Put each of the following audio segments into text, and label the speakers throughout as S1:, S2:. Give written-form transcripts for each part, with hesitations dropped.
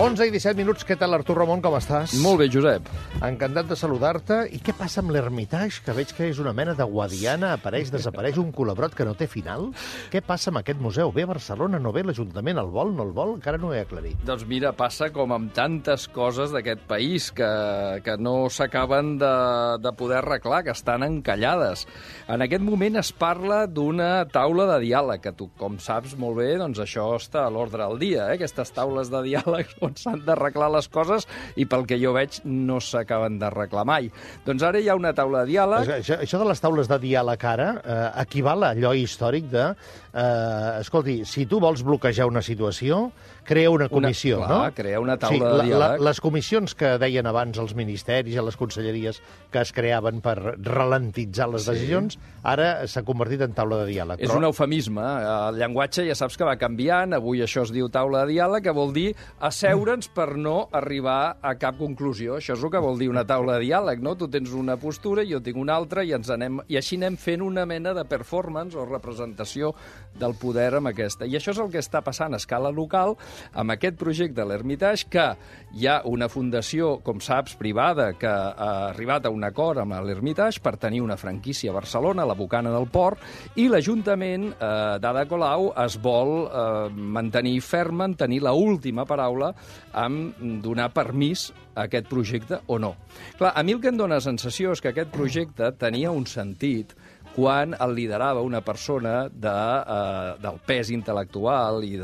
S1: 11 i 17 minuts. Què tal, Artur Ramon, com estàs?
S2: Molt bé, Josep.
S1: Encantat de saludar-te. I què passa amb l'Hermitage, que veig que és una mena de guadiana, apareix, desapareix, un colabrot que no té final? Què passa amb aquest museu? Ve a Barcelona, no ve l'Ajuntament, el vol, no el vol? Encara no ho he aclarit.
S2: Doncs mira, passa com amb tantes coses d'aquest país que no s'acaben de poder arreglar, que estan encallades. En aquest moment es parla d'una taula de diàleg, que tu, com saps molt bé, doncs això està a l'ordre del dia, aquestes taules de diàleg on s'han d'arreglar les coses i pel que jo veig no s'acaben d'arreglar mai. Doncs ara hi ha una taula de diàleg...
S1: Això de les taules de diàleg ara equival a allò històric de... escolti, si tu vols bloquejar una situació, crea una comissió, no?
S2: Clar, crea una taula de diàleg.
S1: Les comissions que deien abans els ministeris i les conselleries que es creaven per ralentitzar les decisions, ara s'ha convertit en taula de diàleg.
S2: És un eufemisme. El llenguatge ja saps que va canviant. Avui això es diu taula de diàleg, que vol dir asseure'ns per no arribar a cap conclusió. Això és el que vol dir una taula de diàleg, no? Tu tens una postura, jo tinc una altra, i així anem fent una mena de performance o representació del poder amb aquesta. I això és el que està passant a escala local amb aquest projecte de l'Hermitage, que hi ha una fundació, com saps, privada, que ha arribat a un acord amb l'Hermitage per tenir una franquícia a Barcelona, a la Bocana del Port, i l'Ajuntament d'Ada Colau es vol mantenir ferm, tenir l'última paraula amb donar permís a aquest projecte o no. Clar, a mi el que em dóna sensació és que aquest projecte tenia un sentit quan el liderava una persona del pes intel·lectual i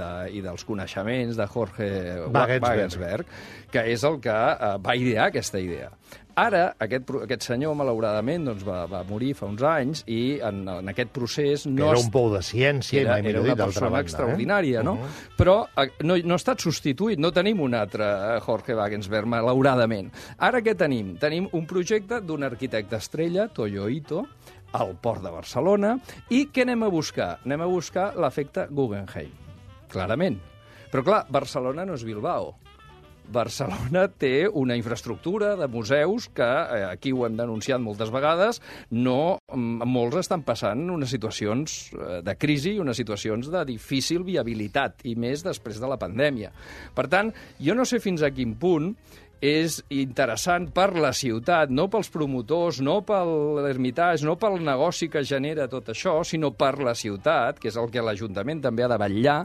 S2: dels coneixements de Jorge Wagensberg, que és el que va idear aquesta idea. Ara, aquest senyor, malauradament, doncs, va morir fa uns anys i en aquest procés...
S1: Era un pou de ciència,
S2: era una persona extraordinària, no? Però no ha estat substituït, no tenim un altre Jorge Wagensberg, malauradament. Ara què tenim? Tenim un projecte d'un arquitecte estrella, Toyo Ito, al Port de Barcelona, i què anem a buscar? Anem a buscar l'efecte Guggenheim, clarament. Però, clar, Barcelona no és Bilbao. Barcelona té una infraestructura de museus que, aquí ho hem denunciat moltes vegades, molts estan passant unes situacions de crisi i unes situacions de difícil viabilitat, i més després de la pandèmia. Per tant, jo no sé fins a quin punt és interessant per la ciutat, no pels promotors, no per l'Hermitage, no pel negoci que genera tot això, sinó per la ciutat, que és el que l'Ajuntament també ha de vetllar,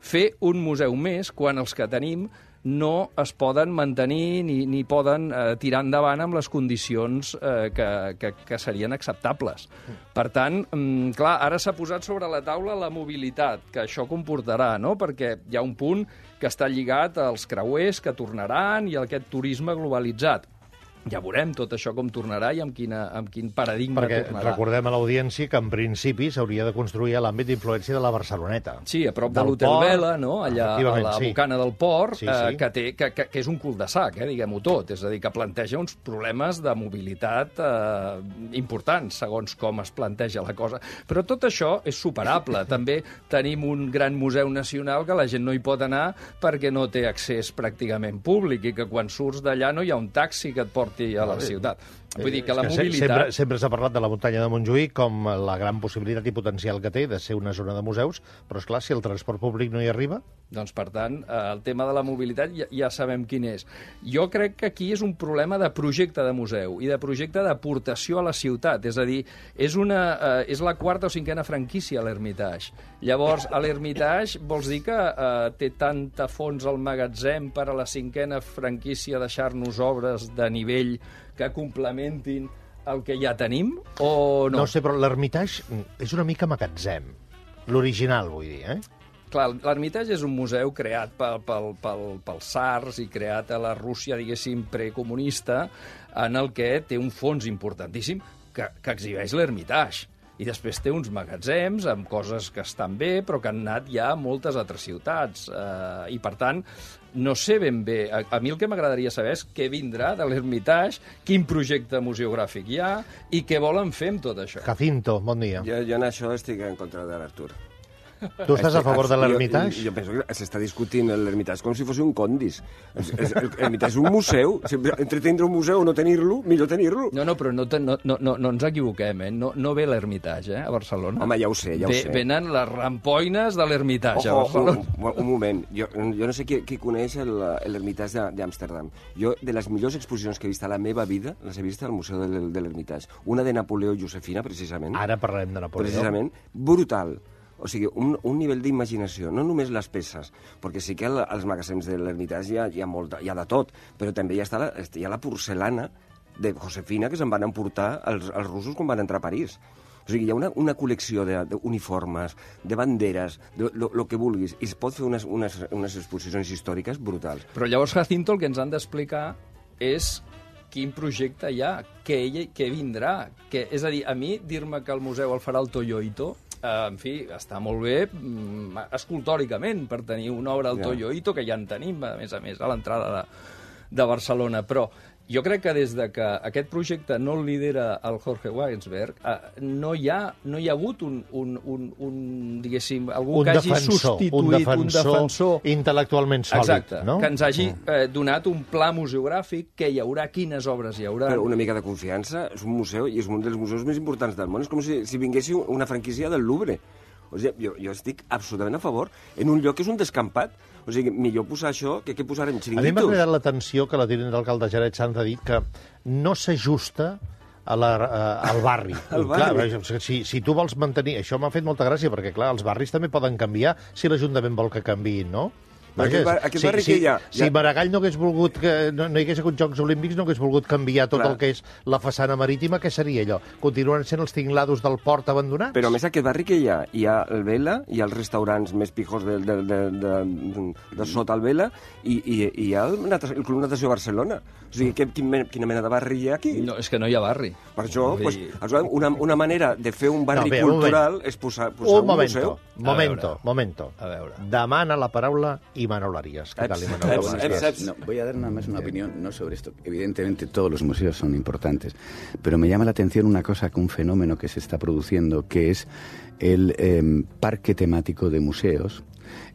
S2: fer un museu més quan els que tenim no es poden mantenir ni poden tirar endavant amb les condicions que serien acceptables. Per tant, clar, ara s'ha posat sobre la taula la mobilitat que això comportarà, no? Perquè hi ha un punt que està lligat als creuers que tornaran i a aquest turisme globalitzat. Ja veurem tot això com tornarà i amb quin paradigma tornarà.
S1: Perquè recordem a l'audiència que en principi s'hauria de construir a l'àmbit d'influència de la Barceloneta.
S2: Sí, a prop de l'Hotel Vela, no? Allà a la Bocana del Port, que és un cul-de-sac, diguem-ho tot. És a dir, que planteja uns problemes de mobilitat importants, segons com es planteja la cosa. Però tot això és superable. També tenim un gran museu nacional que la gent no hi pot anar perquè no té accés pràcticament públic i que quan surts d'allà no hi ha un taxi que et porti a la ciutat. Vull dir que la mobilitat...
S1: Sempre s'ha parlat de la muntanya de Montjuïc com la gran possibilitat i potencial que té de ser una zona de museus, però, esclar, si el transport públic no hi arriba...
S2: Doncs, per tant, el tema de la mobilitat ja sabem quin és. Jo crec que aquí és un problema de projecte de museu i de projecte d'aportació a la ciutat. És a dir, és la quarta o cinquena franquícia a l'Hermitage. Llavors, a l'Hermitage vols dir que té tanta fons al magatzem per a la cinquena franquícia deixar-nos obres de nivell que complementin el que ja tenim, o no?
S1: No sé, però l'Hermitage és una mica magatzem. L'original, vull dir,
S2: Clar, l'Hermitage és un museu creat pels tsars i creat a la Rússia, diguéssim, precomunista, en el que té un fons importantíssim que exhibeix l'Hermitage. I després té uns magatzems amb coses que estan bé, però que han anat ja a moltes altres ciutats. I, per tant, no sé ben bé. A mi el que m'agradaria saber és què vindrà de l'Hermitage, quin projecte museogràfic hi ha i què volen fer amb tot això.
S1: Jacinto, bon dia.
S3: Jo en això estic en contra de l'Artur.
S1: Tu estàs a favor de l'Hermitage?
S3: Jo penso que s'està discutint l'Hermitage com si fos un condis. L'Hermitage és un museu. Entre tindre un museu o no tenir-lo, millor tenir-lo.
S2: No, però no ens equivoquem, eh? No ve l'Hermitage, a Barcelona.
S3: Home, ja ho sé, ja ho sé.
S2: Venen les rampoines de l'Hermitage, a Barcelona.
S3: Un moment. Jo no sé qui coneix l'Hermitage d'Amsterdam. Jo, de les millors exposicions que he vist a la meva vida, les he vist al Museu de l'Hermitage. Una de Napoleó i Josefina, precisament.
S1: Ara parlem de Napoleó.
S3: Precisament. Brutal. O sigui, un nivell d'imaginació, no només les peces, perquè sí que als magasins de l'Hermitage hi ha de tot, però també hi ha la porcelana de Josefina que se'n van emportar els russos quan van entrar a París. O sigui, hi ha una col·lecció d'uniformes, de banderes, el que vulguis, i es pot fer unes exposicions històriques brutals.
S2: Però llavors, Jacinto, el que ens han d'explicar és quin projecte hi ha, què vindrà. És a dir, a mi, dir-me que el museu el farà el Toyo-Ito, en fi, està molt bé escultòricament per tenir una obra del Toyo-Ito, que ja en tenim, a més, a l'entrada de Barcelona, però jo crec que des de que aquest projecte no el lidera el Jorge Wagensberg, no hi ha hagut diguéssim, algú que hagi substituït un defensor
S1: intel·lectualment sòlid.
S2: Exacte, no? Que ens hagi donat un pla museogràfic, que hi haurà, quines obres hi haurà.
S3: Però una mica de confiança, és un museu i és un dels museus més importants del món. És com si vinguessi una franquícia del Louvre. O sigui, jo estic absolutament a favor en un lloc que és un descampat. O sigui, millor posar això que posar en xiringuitos.
S1: A mi m'ha cridat l'atenció que la tinent d'alcalde Janet Sanz ha dit que no s'ajusta al barri. Clar, si tu vols mantenir... Això m'ha fet molta gràcia, perquè, clar, els barris també poden canviar si l'Ajuntament vol que canviïn, no?
S3: Aquest barri que hi ha...
S1: Si Maragall no hagués volgut... No hi hagués hagut Jocs Olímpics, no hagués volgut canviar tot el que és la façana marítima, què seria allò? Continuen sent els tinglados del port abandonats?
S3: Però a més aquest barri que hi ha el Vela, hi ha els restaurants més pijos de sota el Vela, i hi ha el Club Natació Barcelona. O sigui, quina mena de barri hi ha aquí?
S2: No, és que no hi ha barri.
S3: Per això, una manera de fer un barri cultural és posar un museu.
S1: Momento. Demana la paraula Imanol Arias. ¿Qué tal, Imanol?
S4: No, voy a dar nada más una opinión, no sobre esto. Evidentemente todos los museos son importantes, pero me llama la atención una cosa, que un fenómeno que se está produciendo, que es el parque temático de museos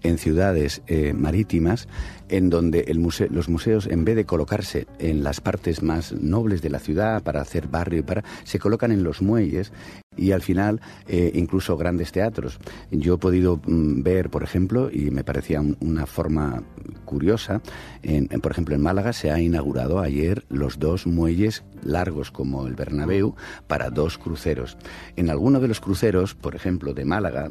S4: en ciudades marítimas, en donde los museos, en vez de colocarse en las partes más nobles de la ciudad para hacer barrio, se colocan en los muelles y al final incluso grandes teatros. Yo he podido ver, por ejemplo, y me parecía una forma curiosa, por ejemplo, en Málaga se ha inaugurado ayer los 2 muelles largos como el Bernabéu para 2 cruceros. En alguno de los cruceros, por ejemplo, de Málaga,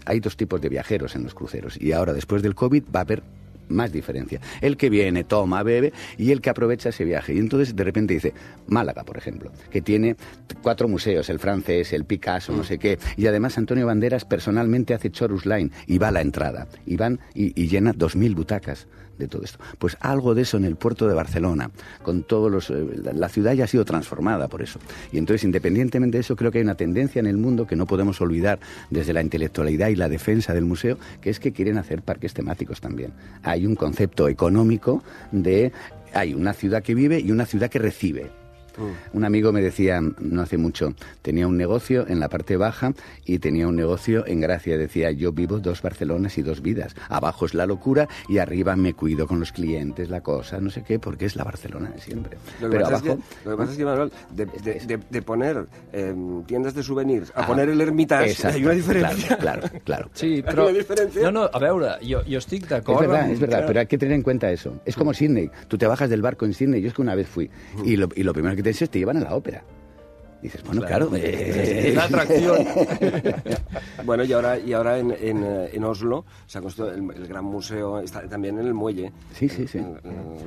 S4: hay 2 tipos de viajeros en los cruceros, y ahora, después del COVID, va a haber más diferencia. El que viene, toma, bebe, y el que aprovecha ese viaje. Y entonces de repente dice, Málaga, por ejemplo, que tiene 4 museos, el francés, el Picasso, no sé qué, y además Antonio Banderas personalmente hace Chorus Line y va a la entrada, y van y llena 2.000 butacas de todo esto. Pues algo de eso en el puerto de Barcelona, con todos la ciudad ya ha sido transformada por eso. Y entonces, independientemente de eso, creo que hay una tendencia en el mundo que no podemos olvidar desde la intelectualidad y la defensa del museo, que es que quieren hacer parques temáticos también. Hay un concepto económico hay una ciudad que vive y una ciudad que recibe. Un amigo me decía, no hace mucho, tenía un negocio en la parte baja y tenía un negocio en Gracia. Decía, yo vivo 2 Barcelonas y 2 vidas. Abajo es la locura y arriba me cuido con los clientes, la cosa, no sé qué, porque es la Barcelona de siempre.
S3: Lo que pasa es que, Manuel, de poner tiendas de souvenirs a poner el Hermitage, hay una diferencia.
S4: Claro.
S2: Sí, però... No, a veure, jo estic d'acord...
S4: Es verdad, pero hay que tener en cuenta eso. Es como Sydney. Tú te bajas del barco en Sydney. Yo es que una vez fui y lo primero que te llevan a la ópera. Dices, bueno, claro.
S2: La atracción.
S3: Bueno, y ahora en Oslo se ha construido el gran museo, está también en el muelle.
S4: Sí.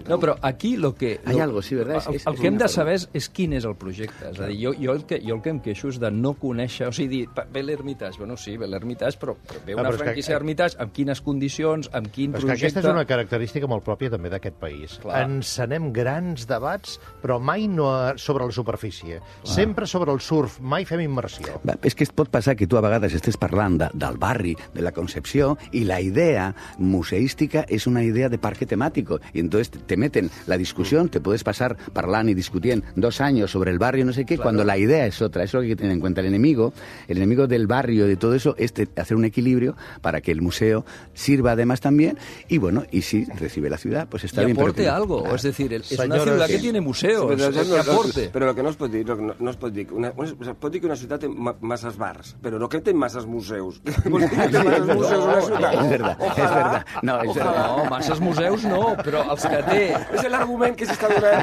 S2: No, però aquí
S4: Hay algo, sí, ¿verdad?
S2: El que hem de saber és quin és el projecte. És a dir, jo el que em queixo és de no conèixer... O sigui, ve l'Hermitage, bueno, sí, ve l'Hermitage, però ve una franquícia d'Hermitage, amb quines condicions, amb quin projecte...
S1: Però aquesta és una característica molt pròpia també d'aquest país. Encenem grans debats, però mai no sobre la superfície. Sempre sempre sobre el surf, mai fem immersió.
S4: És que es pot passar que tu a vegades estés parlant del barri, de la Concepció, y la idea museística es una idea de parque temático. Y entonces te meten la discusión, te puedes pasar parlant y discutiendo 2 años sobre el barrio, no sé qué, cuando la idea es otra. Eso es lo que hay que tener en cuenta. El enemigo del barrio, de todo eso, es hacer un equilibrio para que el museo sirva además también. Y bueno, y si recibe la ciudad, pues está bien.
S2: Y aporte algo. Es decir, es una ciudad que tiene museos. Que aporte.
S3: Però el que no es pot dir, no es pot dir, es pot dir que una ciutat té masses bars, però no que té masses museus. Vol dir que té masses museus una ciutat.
S4: Es verdad. No, es verdad.
S2: No, masses museus no, però els que té...
S3: És l'argument que s'està donant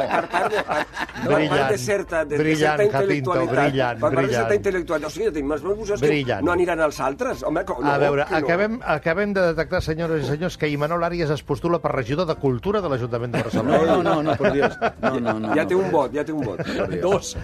S3: per part de certa intel·lectualitat. Per part de certa intel·lectualitat. O sigui, tenim els museus que no aniran als altres. Home, no,
S1: a veure, acabem de detectar, senyores i senyors, que Imanol Arias es postula per regidor de Cultura de l'Ajuntament de Barcelona.
S4: No, por Dios. No.
S3: Ya tengo un bot.
S2: 2.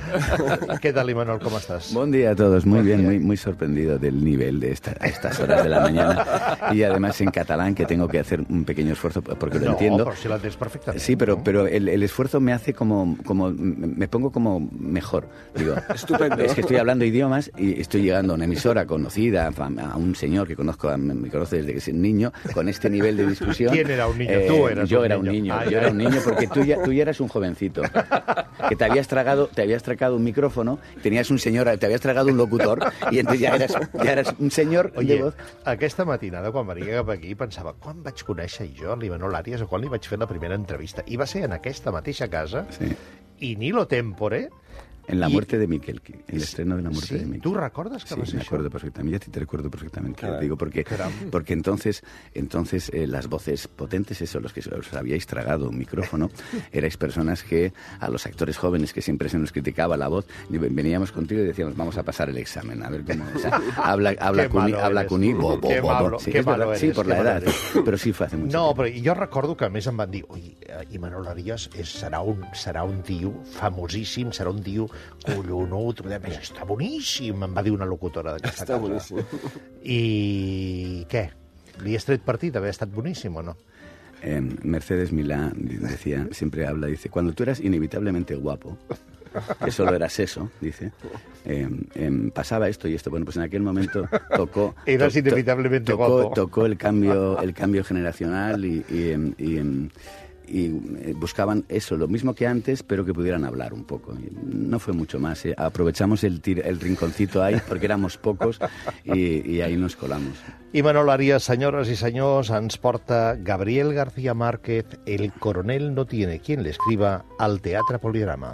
S1: ¿Qué tal, Imanol? ¿Cómo estás?
S4: Buen día a todos. Muy bien, muy sorprendido del nivel de estas horas de la mañana. Y además en catalán, que tengo que hacer un pequeño esfuerzo porque lo entiendo.
S1: Pero si lo entiendes perfectamente.
S4: Sí, pero el esfuerzo me hace como me pongo como mejor. Digo,
S3: estupendo.
S4: Es que estoy hablando idiomas y estoy llegando a una emisora conocida, a un señor que me conoce desde que soy niño, con este nivel de discusión.
S1: ¿Quién era un niño? Tú eras
S4: yo
S1: un
S4: era
S1: niño.
S4: Un niño. Yo era un niño porque tú ya eras un jovencito. Que te habías tragado un micrófono, tenías un señor, te habías tragado un locutor y entonces ya eras un señor de voz.
S1: Aquesta matinada, quan venia cap aquí, pensava, quan vaig conèixer jo l'Imanol Arias o quan li vaig fer la primera entrevista? I va ser en aquesta mateixa casa,
S4: sí.
S1: I Nilo Tempore...
S4: En la muerte de Mikelki, el estreno de la muerte de Mikelki.
S1: ¿Tú recuerdas que va a ser
S4: me acuerdo perfectamente. Ya te recuerdo perfectamente.
S3: Claro.
S4: Digo, porque entonces las voces potentes, eso, los que os habíais tragado un micrófono, erais personas que a los actores jóvenes que siempre se nos criticaba la voz, veníamos contigo y decíamos, vamos a pasar el examen, a ver cómo es. Habla cuní, bo. Sí,
S1: qué malo eres,
S4: sí, por la edad.
S1: Eres.
S4: Però sí fa mucho
S1: No,
S4: tiempo.
S1: però jo recordo que a més em van dir, oi, Imanol Arias serà un tio famosíssim, serà un tio collonut, està boníssim, em va dir una locutora d'aquesta casa.
S3: Està boníssim.
S1: I què? Li has tret partit d'haver estat boníssim o no?
S4: Mercedes Milá decía, siempre habla, dice, cuando tú eras inevitablemente guapo, que solo eras eso, dice, pasaba esto y esto. Bueno, pues en aquel momento tocó...
S1: Eras inevitablemente guapo.
S4: Tocó el cambio generacional y buscaban eso, lo mismo que antes, pero que pudieran hablar un poco. Y no fue mucho más. Aprovechamos el rinconcito ahí, porque éramos pocos, y ahí nos colamos.
S1: Imanol Arias, senyores i senyors, ens porta Gabriel García Márquez, El coronel no tiene quien le escriba, al Teatre Poligrama.